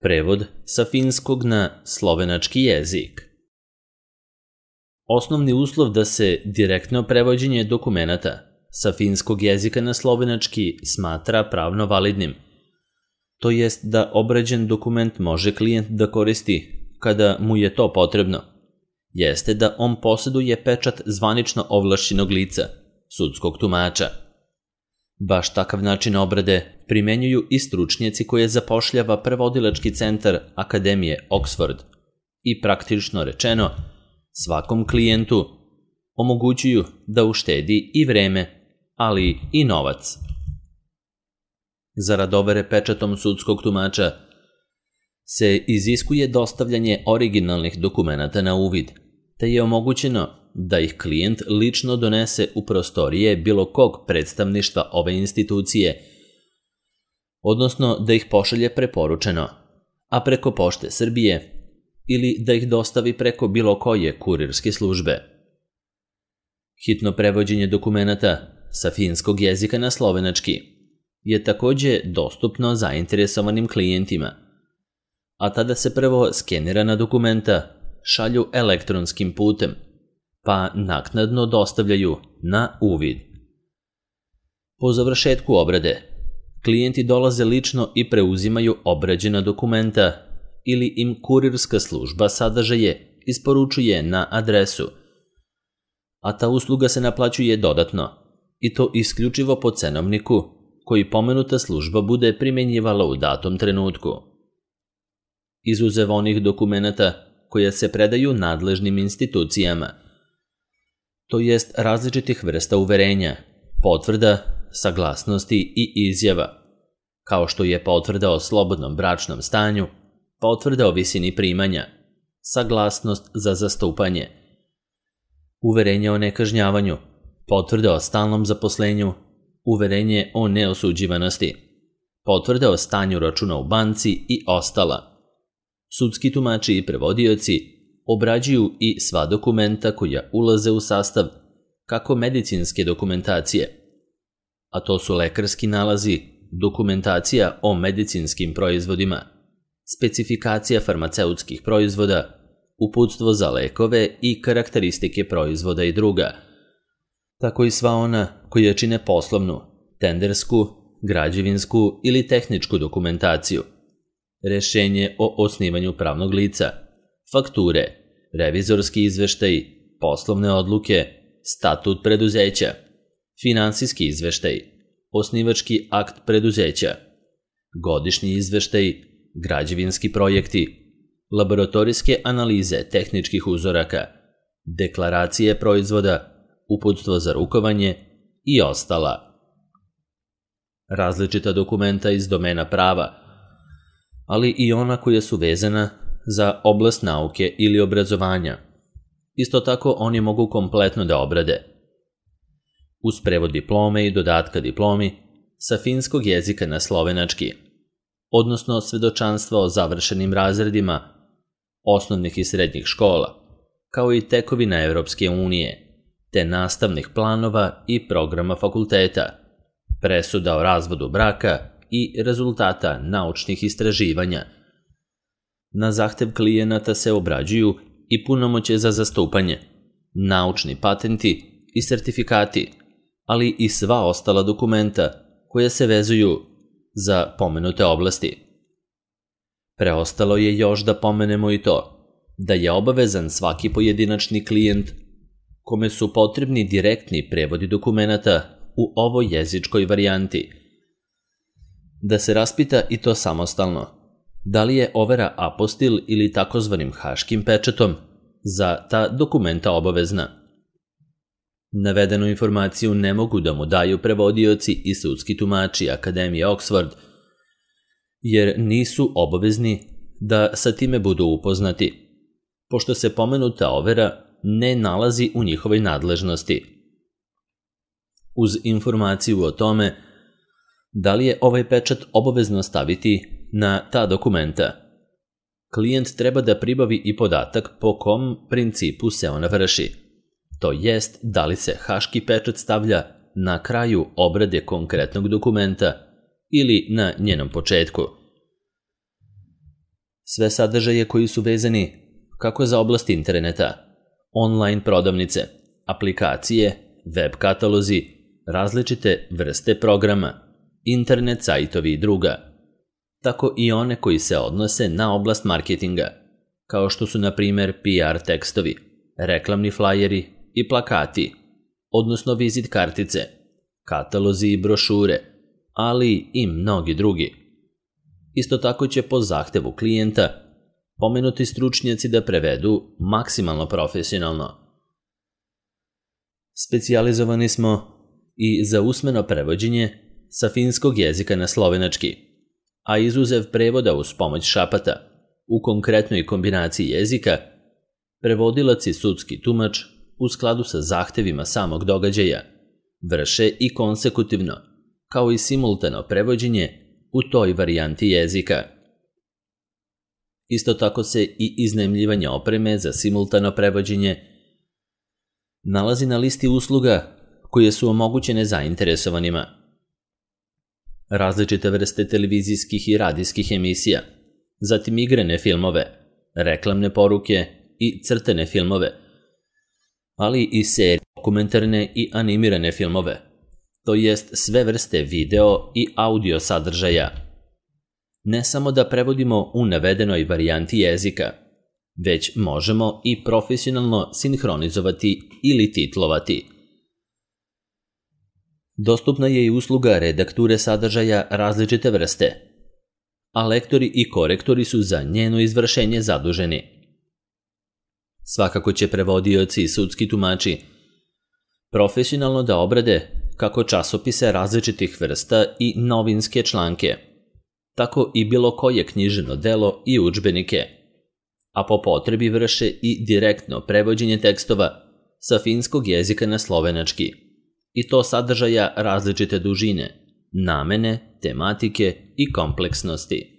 Prevod sa finskog na slovenački jezik. Osnovni uslov da se direktno prevođenje dokumenata sa finskog jezika na slovenački smatra pravno validnim, to jest da obrađen dokument može klijent da koristi kada mu je to potrebno, jeste da on posjeduje pečat zvanično ovlašćenog lica, sudskog tumača. Baš takav način obrade primenjuju i stručnjaci koje zapošljava prevodilački centar Akademije Oxford i praktično rečeno svakom klijentu omogućuju da uštedi i vreme, ali i novac. Zarad overe pečatom sudskog tumača se iziskuje dostavljanje originalnih dokumenata na uvid, te je omogućeno da ih klijent lično donese u prostorije bilo kog predstavništva ove institucije, odnosno da ih pošalje preporučeno, a preko Pošte Srbije, ili da ih dostavi preko bilo koje kurirske službe. Hitno prevođenje dokumenata sa finskog jezika na slovenački je takođe dostupno zainteresovanim klijentima, a tada se prvo skenirana dokumenta šalju elektronskim putem, pa naknadno dostavljaju na uvid. Po završetku obrade, klijenti dolaze lično i preuzimaju obrađena dokumenta ili im kurirska služba sadržaje isporučuje na adresu, a ta usluga se naplaćuje dodatno, i to isključivo po cenovniku koji pomenuta služba bude primenjivala u datom trenutku. Izuzev onih dokumenata koja se predaju nadležnim institucijama, to jest različitih vrsta uverenja, potvrda, saglasnosti i izjava, kao što je potvrda o slobodnom bračnom stanju, potvrda o visini primanja, saglasnost za zastupanje, uverenje o nekažnjavanju, potvrda o stalnom zaposlenju, uverenje o neosuđivanosti, potvrda o stanju računa u banci i ostala. Sudski tumači i prevodioci obrađuju i sva dokumenta koja ulaze u sastav kako medicinske dokumentacije, a to su lekarski nalazi, dokumentacija o medicinskim proizvodima, specifikacija farmaceutskih proizvoda, uputstvo za lekove i karakteristike proizvoda i druga, tako i sva ona koja čine poslovnu, tendersku, građevinsku ili tehničku dokumentaciju, rešenje o osnivanju pravnog lica, fakture, revizorski izveštaj, poslovne odluke, statut preduzeća, finansijski izveštaj, osnivački akt preduzeća, godišnji izveštaj, građevinski projekti, laboratorijske analize tehničkih uzoraka, deklaracije proizvoda, uputstvo za rukovanje i ostala. Različita dokumenta iz domena prava, ali i ona koja su vezana za oblast nauke ili obrazovanja. Isto tako oni mogu kompletno da obrade. Uz prevod diplome i dodatka diplomi sa finskog jezika na slovenački, odnosno svedočanstva o završenim razredima osnovnih i srednjih škola, kao i tekovina Evropske unije, te nastavnih planova i programa fakulteta, presuda o razvodu braka i rezultata naučnih istraživanja. Na zahtev klijenata se obrađuju i punomoćje za zastupanje, naučni patenti i sertifikati, ali i sva ostala dokumenta koja se vezuju za pomenute oblasti. Preostalo je još da pomenemo i to da je obavezan svaki pojedinačni klijent kome su potrebni direktni prevodi dokumenata u ovoj jezičkoj varijanti, da se raspita i to samostalno, da li je overa apostil ili takozvanim haškim pečatom za ta dokumenta obavezna. Navedenu informaciju ne mogu da mu daju prevodioci i sudski tumači Akademije Oxford, jer nisu obavezni da sa time budu upoznati, pošto se pomenuta overa ne nalazi u njihovoj nadležnosti. Uz informaciju o tome da li je ovaj pečat obavezno staviti na ta dokumenta, klijent treba da pribavi i podatak po kom principu se ona vrši, to jest da li se haški pečat stavlja na kraju obrade konkretnog dokumenta ili na njenom početku. Sve sadržaje koji su vezani kako za oblast interneta, online prodavnice, aplikacije, web katalozi, različite vrste programa, internet sajtovi i druga, tako i one koji se odnose na oblast marketinga, kao što su na primjer PR tekstovi, reklamni flajeri i plakati, odnosno vizit kartice, katalozi i brošure, ali i mnogi drugi. Isto tako će po zahtevu klijenta pomenuti stručnjaci da prevedu maksimalno profesionalno. Specijalizovani smo i za usmeno prevođenje sa finskog jezika na slovenački, a izuzev prevoda uz pomoć šapata, u konkretnoj kombinaciji jezika, prevodilac i sudski tumač u skladu sa zahtevima samog događaja vrše i konsekutivno, kao i simultano prevođenje u toj varijanti jezika. Isto tako se i iznajmljivanje opreme za simultano prevođenje nalazi na listi usluga koje su omogućene zainteresovanima. Različite vrste televizijskih i radijskih emisija, zatim igrane filmove, reklamne poruke i crtene filmove, ali i serije, dokumentarne i animirane filmove, to jest sve vrste video i audio sadržaja. Ne samo da prevodimo u navedenoj varijanti jezika, već možemo i profesionalno sinhronizovati ili titlovati. Dostupna je i usluga redakture sadržaja različite vrste, a lektori i korektori su za njeno izvršenje zaduženi. Svakako će prevodioci i sudski tumači profesionalno da obrade kako časopise različitih vrsta i novinske članke, tako i bilo koje književno delo i udžbenike, a po potrebi vrše i direktno prevođenje tekstova sa finskog jezika na slovenački, i to sadržaja različite dužine, namene, tematike i kompleksnosti.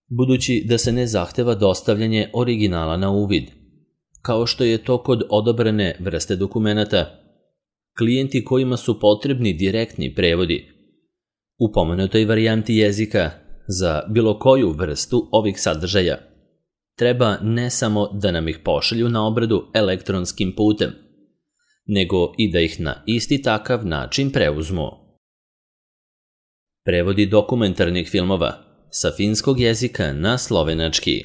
Budući da se ne zahteva dostavljanje originala na uvid, kao što je to kod odobrene vrste dokumenata, klijenti kojima su potrebni direktni prevodi u pomenutoj varijanti jezika za bilo koju vrstu ovih sadržaja treba ne samo da nam ih pošalju na obradu elektronskim putem, nego i da ih na isti takav način preuzmu. Prevodi dokumentarnih filmova sa finskog jezika na slovenački.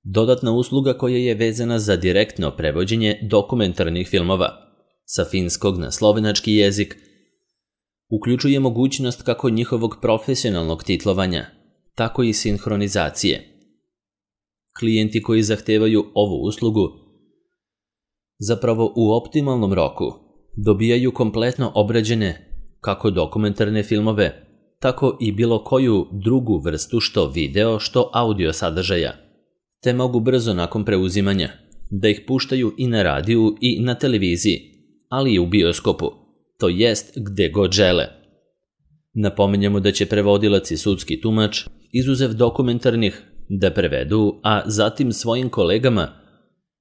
Dodatna usluga koja je vezana za direktno prevođenje dokumentarnih filmova sa finskog na slovenački jezik uključuje mogućnost kako njihovog profesionalnog titlovanja, tako i sinhronizacije. Klijenti koji zahtevaju ovu uslugu zapravo u optimalnom roku dobijaju kompletno obrađene kako dokumentarne filmove, tako i bilo koju drugu vrstu što video, što audio sadržaja, te mogu brzo nakon preuzimanja da ih puštaju i na radiju i na televiziji, ali i u bioskopu, to jest gde god žele. Napominjemo da će prevodilac i sudski tumač, izuzev dokumentarnih, da prevedu, a zatim svojim kolegama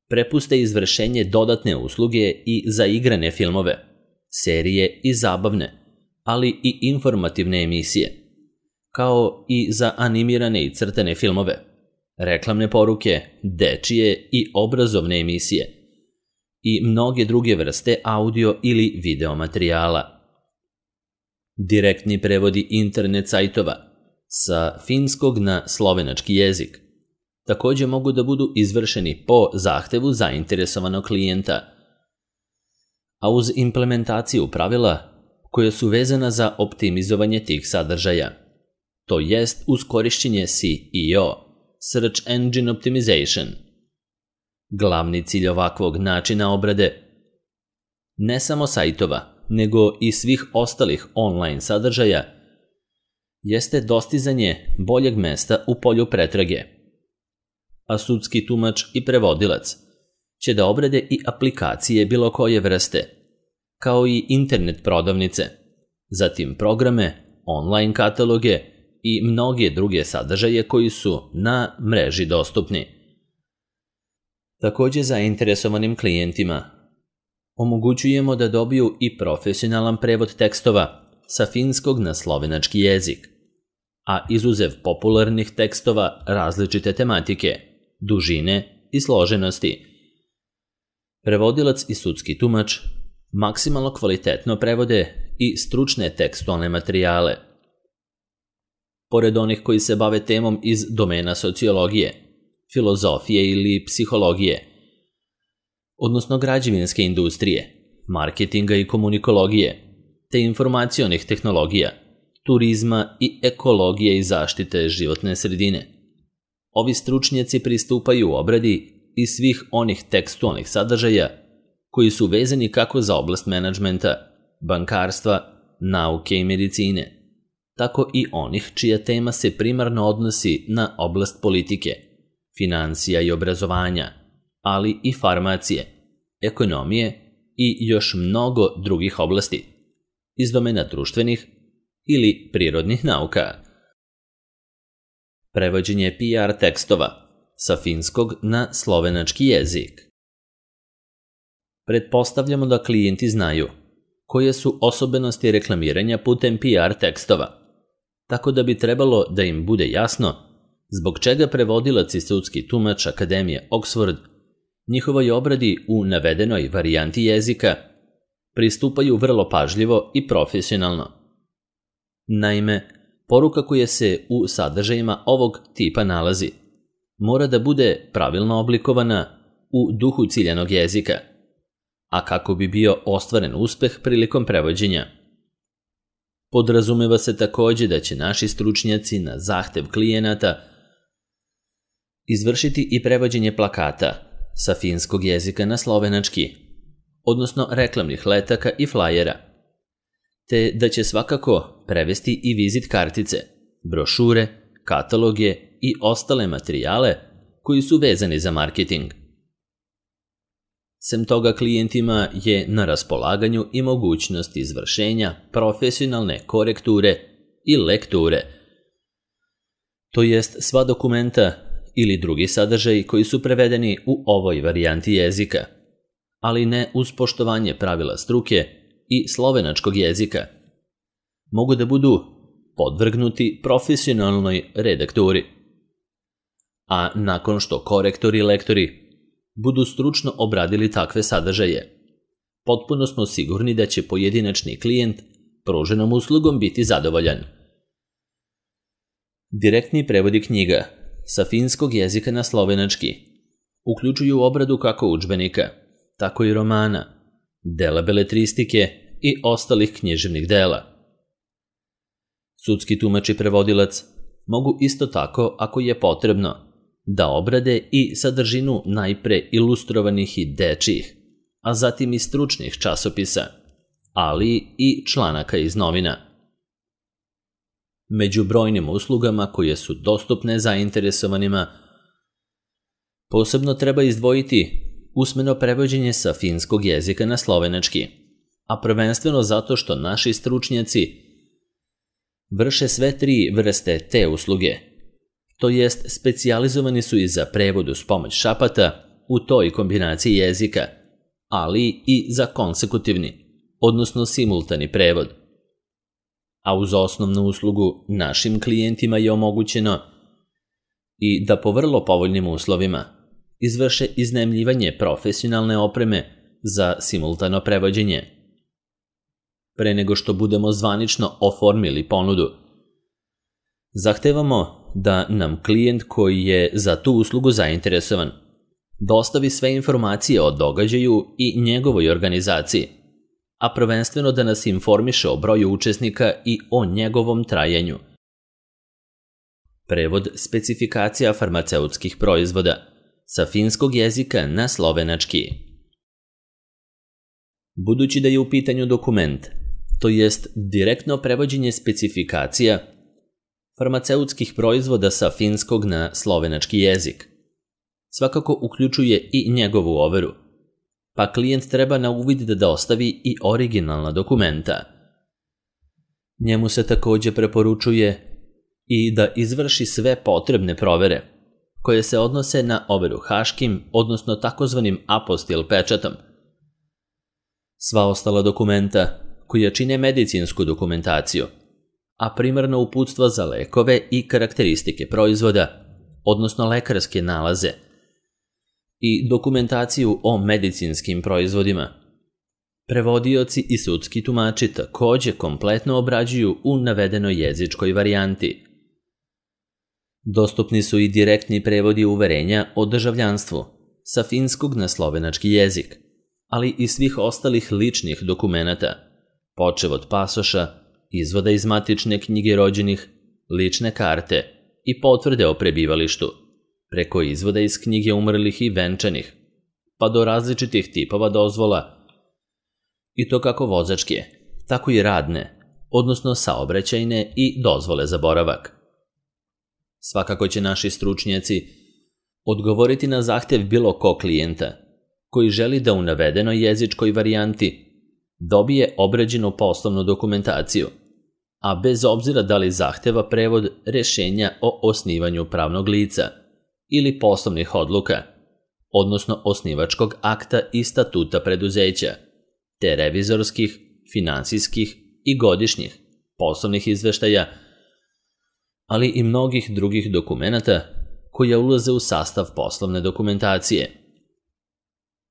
prepuste izvršenje dodatne usluge i za igrane filmove, serije i zabavne, ali i informativne emisije, kao i za animirane i crtene filmove, reklamne poruke, dečije i obrazovne emisije i mnoge druge vrste audio ili video materijala. Direktni prevodi internet sajtova sa finskog na slovenački jezik također mogu da budu izvršeni po zahtevu zainteresovanog klijenta, a uz implementaciju pravila koja su vezana za optimizovanje tih sadržaja, to jest uz korišćenje SEO, Search Engine Optimization. Glavni cilj ovakvog načina obrade ne samo sajtova, nego i svih ostalih online sadržaja jeste dostizanje boljeg mesta u polju pretrage, a sudski tumač i prevodilac će da obrade i aplikacije bilo koje vrste, kao i internet prodavnice, zatim programe, online kataloge i mnoge druge sadržaje koji su na mreži dostupni. Također zainteresovanim klijentima omogućujemo da dobiju i profesionalan prevod tekstova sa finskog na slovenački jezik. a izuzev popularnih tekstova različite tematike, dužine i složenosti. Prevodilac i sudski tumač maksimalno kvalitetno prevode i stručne tekstualne materijale. Pored onih koji se bave temom iz domena sociologije, filozofije ili psihologije, odnosno građevinske industrije, marketinga i komunikologije, te informacionih tehnologija, turizma i ekologije i zaštite životne sredine. Ovi stručnjaci pristupaju obradi i svih onih tekstualnih sadržaja koji su vezani kako za oblast menadžmenta, bankarstva, nauke i medicine, tako i onih čija tema se primarno odnosi na oblast politike, financija i obrazovanja, ali i farmacije, ekonomije i još mnogo drugih oblasti iz domena društvenih ili prirodnih nauka. Prevođenje PR tekstova sa finskog na slovenački jezik. Pretpostavljamo da klijenti znaju koje su osobenosti reklamiranja putem PR tekstova, tako da bi trebalo da im bude jasno zbog čega prevodilac i sudski tumač Akademije Oxford njihovoj obradi u navedenoj varijanti jezika pristupaju vrlo pažljivo i profesionalno. Naime, poruka koja se u sadržajima ovog tipa nalazi mora da bude pravilno oblikovana u duhu ciljanog jezika, a kako bi bio ostvaren uspeh prilikom prevođenja. Podrazumeva se takođe da će naši stručnjaci na zahtev klijenata izvršiti i prevođenje plakata sa finskog jezika na slovenački, odnosno reklamnih letaka i flajera, te da će svakako prevesti i vizit kartice, brošure, kataloge i ostale materijale koji su vezani za marketing. Sem toga, klijentima je na raspolaganju i mogućnost izvršenja profesionalne korekture i lekture, to jest sva dokumenta ili drugi sadržaji koji su prevedeni u ovoj varijanti jezika, ali ne uz poštovanje pravila struke i slovenačkog jezika, mogu da budu podvrgnuti profesionalnoj redakturi. A nakon što korektori i lektori budu stručno obradili takve sadržaje, potpuno smo sigurni da će pojedinačni klijent pruženom uslugom biti zadovoljan. Direktni prevodi knjiga sa finskog jezika na slovenački uključuju obradu kako udžbenika, tako i romana, dela beletristike i ostalih književnih dela. Sudski tumač i prevodilac mogu isto tako, ako je potrebno, da obrade i sadržinu najpre ilustrovanih i dečijih, a zatim i stručnih časopisa, ali i članaka iz novina. Među brojnim uslugama koje su dostupne zainteresovanima, posebno treba izdvojiti usmeno prevođenje sa finskog jezika na slovenački, a prvenstveno zato što naši stručnjaci vrše sve tri vrste te usluge, to jest specijalizovani su i za prevod uz pomoć šapata u toj kombinaciji jezika, ali i za konsekutivni, odnosno simultani prevod. A uz osnovnu uslugu našim klijentima je omogućeno i da po vrlo povoljnim uslovima izvrše iznajmljivanje profesionalne opreme za simultano prevođenje. Pre nego što budemo zvanično oformili ponudu, zahtevamo da nam klijent koji je za tu uslugu zainteresovan dostavi sve informacije o događaju i njegovoj organizaciji, a prvenstveno da nas informiše o broju učesnika i o njegovom trajanju. Prevod specifikacija farmaceutskih proizvoda sa finskog jezika na slovenački. Budući da je u pitanju dokument, to jest direktno prevođenje specifikacija farmaceutskih proizvoda sa finskog na slovenački jezik, svakako uključuje i njegovu overu, pa klijent treba na uvid da dostavi i originalna dokumenta. Njemu se takođe preporučuje i da izvrši sve potrebne provere, koje se odnose na overu haškim, odnosno takozvanim apostil pečatom. Sva ostala dokumenta koja čine medicinsku dokumentaciju, a primarno uputstva za lekove i karakteristike proizvoda, odnosno lekarske nalaze, i dokumentaciju o medicinskim proizvodima. Prevodioci i sudski tumači takođe kompletno obrađuju u navedenoj jezičkoj varijanti. Dostupni su i direktni prevodi uverenja o državljanstvu sa finskog na slovenački jezik, ali i svih ostalih ličnih dokumenata, počev od pasoša, izvoda iz matične knjige rođenih, lične karte i potvrde o prebivalištu, preko izvoda iz knjige umrlih i venčanih, pa do različitih tipova dozvola, i to kako vozačke, tako i radne, odnosno saobraćajne i dozvole za boravak. Svakako će naši stručnjaci odgovoriti na zahtev bilo kog klijenta koji želi da u navedenoj jezičkoj varijanti dobije obrađenu poslovnu dokumentaciju, a bez obzira da li zahteva prevod rešenja o osnivanju pravnog lica ili poslovnih odluka, odnosno osnivačkog akta i statuta preduzeća, te revizorskih, finansijskih i godišnjih poslovnih izveštaja, ali i mnogih drugih dokumenata koja ulaze u sastav poslovne dokumentacije.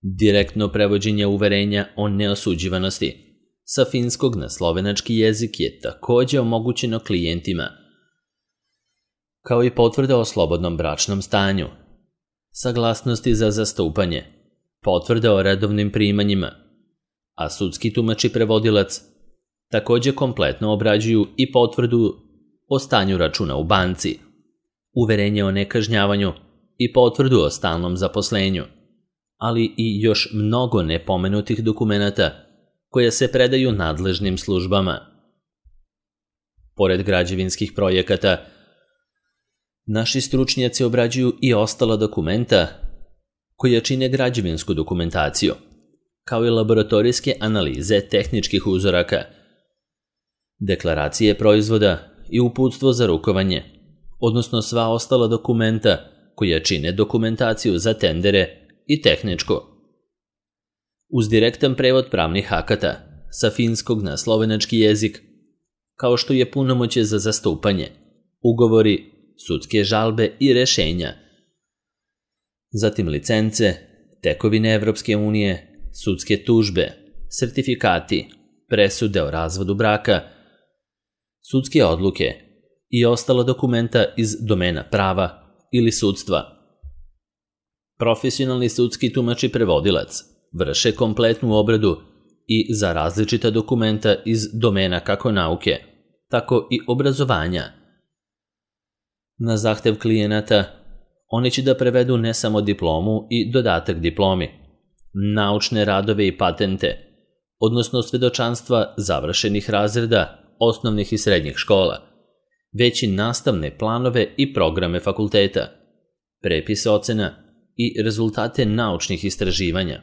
Direktno prevođenje uverenja o neosuđivanosti sa finskog na slovenački jezik je takođe omogućeno klijentima, kao i potvrda o slobodnom bračnom stanju, saglasnosti za zastupanje, potvrda o redovnim primanjima, a sudski tumač i prevodilac takođe kompletno obrađuju i potvrdu o stanju računa u banci, uverenje o nekažnjavanju i potvrdu o stalnom zaposlenju, ali i još mnogo nepomenutih dokumenata koje se predaju nadležnim službama. Pored građevinskih projekata, naši stručnjaci obrađuju i ostala dokumenta koja čine građevinsku dokumentaciju, kao i laboratorijske analize tehničkih uzoraka, deklaracije proizvoda i uputstvo za rukovanje, odnosno sva ostala dokumenta koja čine dokumentaciju za tendere i tehničku. Uz direktan prevod pravnih akata sa finskog na slovenački jezik, kao što je punomoćje za zastupanje, ugovori, sudske žalbe i rešenja, zatim licence, tekovine Evropske unije, sudske tužbe, sertifikati, presude o razvodu braka, sudske odluke i ostala dokumenta iz domena prava ili sudstva. Profesionalni sudski tumač i prevodilac vrše kompletnu obradu i za različita dokumenta iz domena kako nauke, tako i obrazovanja. Na zahtev klijenata, oni će da prevedu ne samo diplomu i dodatak diplomi, naučne radove i patente, odnosno svedočanstva završenih razreda osnovnih i srednjih škola, već i nastavne planove i programe fakulteta, prepise ocena i rezultate naučnih istraživanja,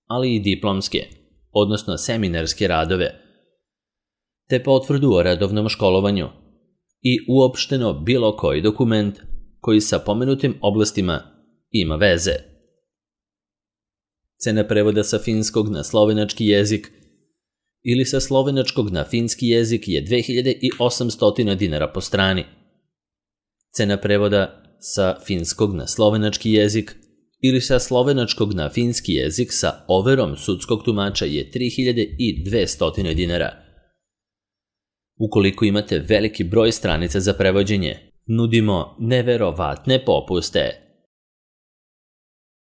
ali i diplomske, odnosno seminarske radove, te potvrdu o redovnom školovanju i uopšteno bilo koji dokument koji sa pomenutim oblastima ima veze. Cena prevoda sa finskog na slovenački jezik ili sa slovenačkog na finski jezik je 2800 dinara po strani. Cena prevoda sa finskog na slovenački jezik ili sa slovenačkog na finski jezik sa overom sudskog tumača je 3200 dinara. Ukoliko imate veliki broj stranica za prevođenje, nudimo neverovatne popuste.